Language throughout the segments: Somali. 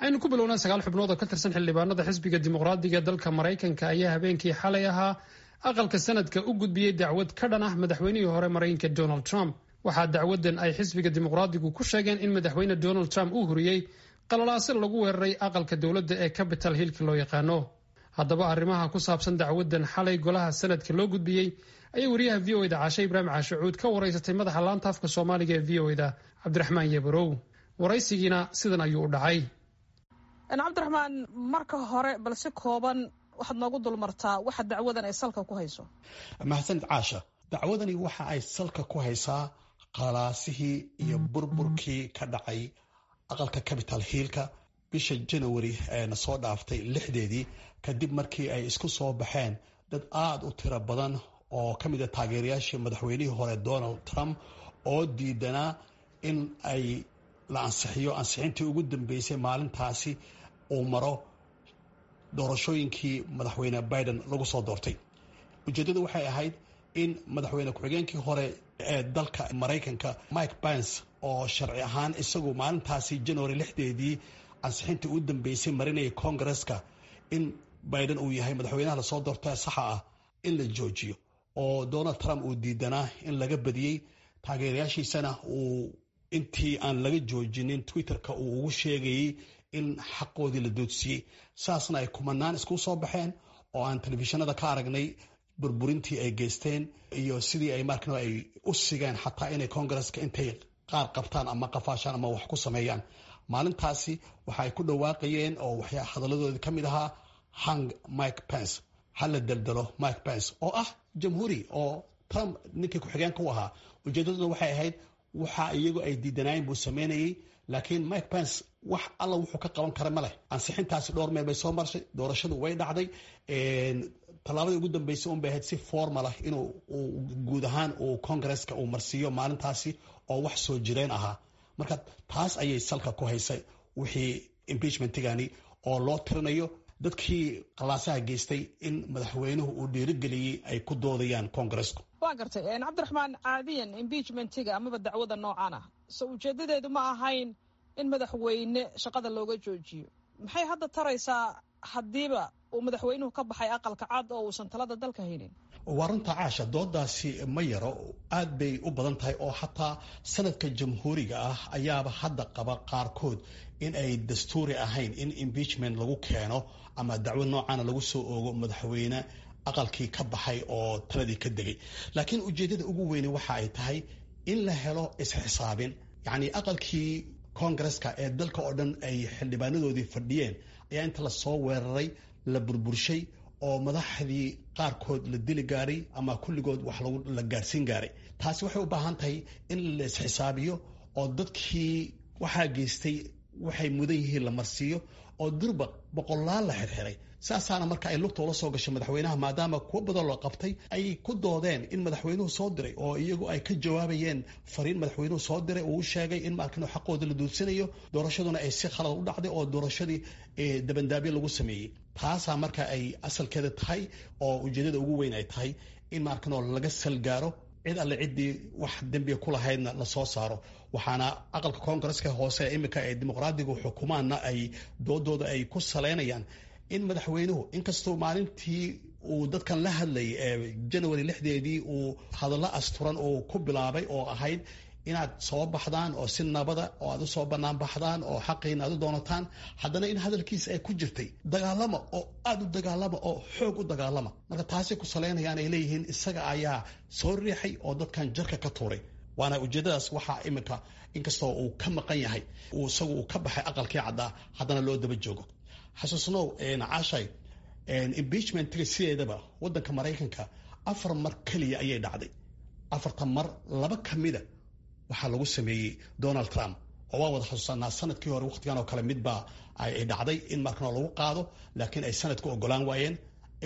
Aynu ku bilownaa 9 xubnood oo ka tirsan xildhibaanada xisbiga Dimuqraadiga dalka Maraykanka ayaa habeenkii xalay ahaa aqalka sanadka u gudbiyey dacwad ka dhan ah madaxweynihii hore Maraykanka Donald Trump. Waxaa dacwadan ay xisbiga Dimuqraadigu ku sheegeen in madaxweyne Donald Trump uu huriyey qalalaase lagu weeraray aqalka dowladda ee Capital Hillka loo yaqaano. Haddaba, arrimaha ku saabsan dacwadan xalay golaha sanadka loo gudbiyey ayay wariyaha VOA da Caashe Ibraahim Caashacuud ka waraysatay madaxa laanta afka Soomaaliga ee VOA da, Cabdiraxmaan Yebarow. Waraysigiina sidan ayuu u dhacay. Cabdiraxmaan, marka hore bal si kooban waxaad noogu dulmartaa waxa dacwadan ay salka ku hayso. Mahadsanid, Caasha. Dacwadani waxa ay salka ku haysaa qalaasihii iyo burburkii ka dhacay aqalka Capital Hillka bisha Janawari eena soo dhaaftay 6deedii, kadib markii ay isku soo baxeen dad aada u tiro badan oo ka mid a taageerayaashii madaxweynihii hore Donald Trump oo diidanaa in ay la ansixiyo ansixintii ugu dambeysay maalintaasi uu maro doorashooyinkii madaxweyne Biden lagu soo doortay. Ujeeddadu waxay ahayd in madaxweyne ku-xigeenkii hore ee dalka Maraykanka Mike Pence, oo sharci ahaan isagu maalintaasi January 6deedii ansixintii u dambeysay marinayay Congaresska in Biden uu yahay madaxweynaha lasoo doorta saxa ah, in la joojiyo, oo Donald Trump uu diidanaa in laga badiyey. Taageerayaashiisana uu intii aan laga joojinin Twitterka uu ugu sheegayey in xaqoodii la doodsiiyey, saasna ay kumanaan isku soo baxeen oo aan telefishinada ka aragnay burburintii ay geysteen iyo sidii ay markano ay u sigeen xataa inay Congaresska intay qaar qabtaan ama qafaashaan ama wax ku sameeyaan. Maalintaasi waxa ay ku dhawaaqayeen oo waxyaa hadaladoodii ka mid ahaa "Hang Mike Pence", ha la daldalo Mike Pence, oo ah jamhuuri oo Trump ninkii ku-xigeenka u ahaa. Ujeedaduna waxay ahayd waxa iyagu ay diidanaayeen buu sameynayey, laakiin Mike Pence wax alla wuxuu ka qaban kara ma leh. Ansixintaasi dhowr meel bay soo marshay, doorashadu way dhacday. Tallaabadii ugu dambeysay un bay ahayd si formal ah inuu guud ahaan uu Congaresska uu marsiiyo maalintaasi, oo wax soo jireen ahaa. Marka taas ayay salka ku haysay wixii impeachmentigani oo loo tirinayo dadkii qalaasaha geystay in madaxweynuhu uu dhiirigeliyey, ay ku doodayaan Congaresku. Waa gartay, Cabdiraxmaan. Caadiyan impeachmentiga amaba dacwada noocan ah, so ujeedadeedu ma ahayn in madaxweyne shaqada looga joojiyo? Maxay hadda taraysaa haddiiba uu madaxweynuhu ka baxay Aqalka Cad oo uusan talada dalka haynin? Waa runta, Caasha, doodaasi ma yaro, aad bay u badan tahay, oo xataa sanadka jamhuuriga ah ayaaba hadda qaba qaarkood in ay dastuuri ahayn in impeachment lagu keeno ama dacwo noocaana lagu soo oogo madaxweyne aqalkii ka baxay oo taladii ka degay. Laakiin ujeeddada ugu weyne waxa ay tahay in la helo isxisaabin, yacni aqalkii Congaresska ee dalka oo dhan ay xildhibaanadoodii fadhiyeen ayaa inta lasoo weeraray la burburshay, oo madaxdii qaarkood la dili gaaray ama kulligood wax la gaarsiin gaaray. Taasi waxay u baahan tahay in la isxisaabiyo oo dadkii waxaa geystay waxay mudan yihiin la marsiiyo, oo durba boqolaal la xirxiray. Saasaana marka ay lugta ula soo gashay madaxweynaha, maadaama kuwo badan loo qabtay ay ku doodeen in madaxweynuhu soo diray, oo iyagu ay ka jawaabayeen fariin madaxweynuhu soo diray uu sheegay in markano xaqooda la duudsanayo, doorashaduna ay si khalad u dhacday oo doorashadii dabandaabyo lagu sameeyey. Taasaa marka ay asalkeeda tahay oo ujeedada ugu weyn ay tahay in markano laga salgaaro, cid alle ciddii wax dembiga ku lahaydna lasoo saaro. Waxaana aqalka Koongareska hoose iminka ay Dimuqraadigu xukumaanna ay doodooda ay ku saleynayaan in madaxweynuhu, inkastoo maalintii uu dadkan la hadlayay ee Janawari 6deedii uu hadallo asturan uu ku bilaabay oo ahayd inaad soo baxdaan oo si nabada oo aad usoo banaan baxdaan oo xaqiina aad u doonataan, haddana in hadalkiisa ay ku jirtay "dagaalama oo aada u dagaalama oo xoog u dagaalama". Marka taasay ku saleynayaan, ay leeyihiin isaga ayaa soo riixay oo dadkan jarka ka tuuray. Waana ujeedadaas waxaa iminka, inkastoo uu ka maqan yahay, uu isagu uu ka baxay aqalkii caddaa, haddana loo daba joogo. Xasuusnow, Caashay, impeachmentiga sideedaba waddanka Maraykanka afar mar keliya ayay dhacday. Afartan mar laba ka mida waxaa lagu sameeyey Donald Trump, oo waan wada xasuusanaa sanadkii hore waqtigan oo kale midbaa ay dhacday in markana lagu qaado, laakiin ay sanadku ogolaan waayeen.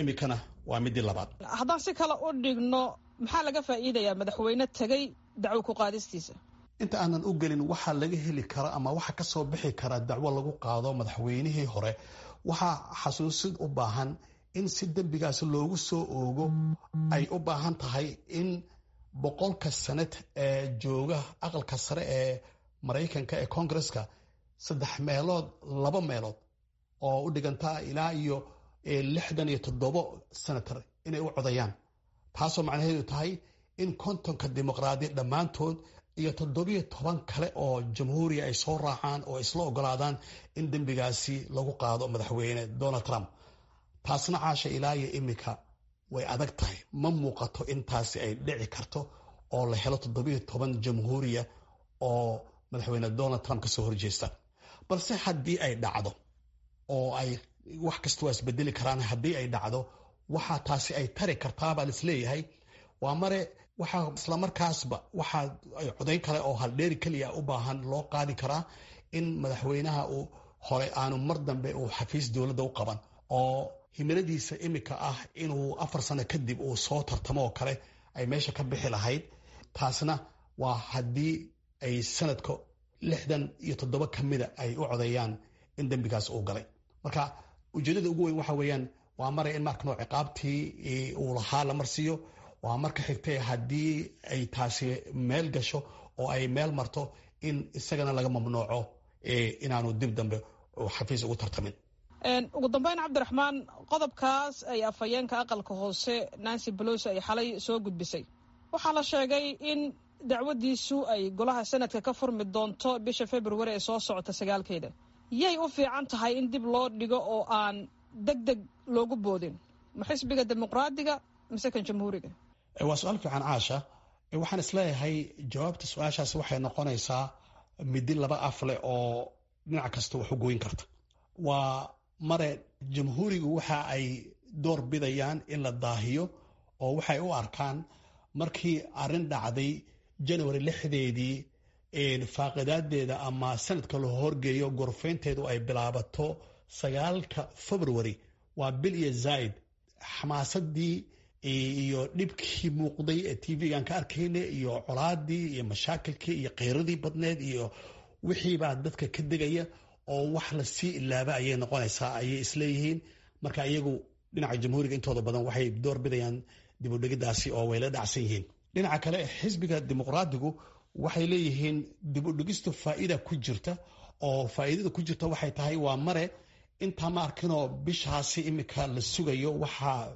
Iminkana waa midii labaad. Haddaan si kale u dhigno, maxaa laga faa'iidayaa madaxweyne tegey dacwo ku qaadistiisa? Inta aanan u gelin waxaa laga heli kara ama waxa ka soo bixi kara dacwo lagu qaado madaxweynihii hore, waxaa xasuusid u baahan in si dembigaas loogu soo oogo ay u baahan tahay in 100-ka sanad ee jooga aqalka sare ee Maraykanka ee Congaresska Saddex meelood laba meelood oo u dhigantaa ilaa iyo 67 senator inay u codayaan, taasoo macnaheedu tahay in 50-ka dimuqraadi dhammaantood iyo 17 kale oo jamhuuriya ay soo raacaan oo isla ogolaadaan in dembigaasi lagu qaado madaxweyne Donald Trump. Taasna, Caasha, ilaa iyo iminka way adag tahay. Ma muuqato in taasi ay dhici karto oo la helo 17 jamhuuriya oo madaxweyne Donald Trump kasoo horjeesta. Balse haddii ay dhacdo, oo ay wax kasta waa isbedeli karaan, haddii ay dhacdo waxaa taasi ay tari kartaabaa laisleeyahay waa mare waxaa islamarkaasba waxaa ay codayn kale oo haldheeri keliya u baahan loo qaadi karaa in madaxweynaha uu hore aanu mar dambe uu xafiis dowladda u qaban, oo himiladiisa imika ah inuu 4 sano kadib uu soo tartamo oo kale ay meesha ka bixi lahayd. Taasna waa haddii ay sanadka 67 ka mida ay u codeeyaan in dembigaas uu galay. Marka ujeedada ugu weyn waxa weeyaan waa maray in markano ciqaabtii uu lahaa la marsiiyo. Waa marka xigtay haddii ay taasi meel gasho oo ay meel marto in isagana laga mamnuuco inaanu dib dambe xafiis ugu tartamin. Ugu dambeyn, Cabdiraxmaan, qodobkaas ay afhayeenka aqalka hoose Nancy Pelosi ay xalay soo gudbisay, waxaa la sheegay in dacwadiisu ay golaha sanadka ka furmi doonto bisha February ee soo socota 9-keeda. Yay u fiican tahay in dib loo dhigo oo aan deg deg loogu boodin? Ma xisbiga Dimuqraadiga mise kan Jamhuuriga? Waa su-aal fiican, Caasha. Waxaan isleeyahay jawaabta su-aashaasi waxay noqonaysaa midi laba af leh oo dhinac kasta wax u goyn karta. Waa mare Jamhuurigu waxa ay door bidayaan in la daahiyo, oo waxay u arkaan markii arrin dhacday January 6-deedii faaqidaadeeda ama sanadka la horgeeyo, gorfeynteedu ay bilaabato 9-ka February, waa bil iyo zaaid. Xamaasadii iyo dhibkii muuqday ee TV-gan ka arkayna iyo colaadii iyo mashaakilkii iyo kheyradii badneed iyo wixiibaa dadka ka degaya, oo wax lasii ilaaba ayay noqonaysaa ayay isleeyihiin. Marka iyagu dhinaca Jamhuuriga intooda badan waxay door bidayaan dib udhigidaasi oo way la dhacsan yihiin. Dhinaca kale, xisbiga Dimuqraadigu waxay leeyihiin dib udhigistu faa'iida ku jirta, oo faa'iidada ku jirta waxay tahay waa mare intaa ma arkinoo bishaasi imika la sugayo waxaa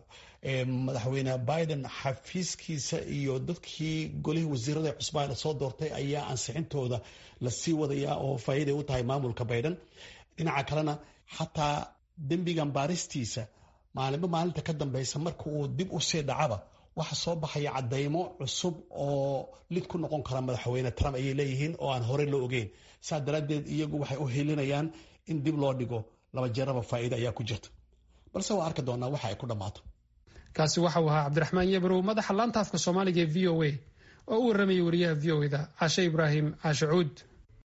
madaxweyne Biden xafiiskiisa iyo dadkii golihii wasiirada cusbaa la soo doortay ayaa ansixintooda lasii wadayaa, oo faa'iiday u tahay maamulka Biden. Dhinaca kalena, xataa dembigan baaristiisa maalinba maalinta ka dambeysa marka uu dib u sii dhacaba waxa soo baxaya cadaymo cusub oo lid ku noqon kara madaxweyne Trump, ayay leeyihiin, oo aan horey loo ogeyn. Saa daraaddeed iyagu waxay u helinayaan in dib loo dhigo. Laba jeeraba faa'iida ayaa ku jirta, balse waa arki doonaa waxa ay ku dhammaato. Kaasi waxa uu ahaa Cabdiraxmaan Yebrow, madaxa laanta afka Soomaaliga ee VOA, oo u warramayay wariyaha VOA-da Caashe Ibraahim Caashe Cuud.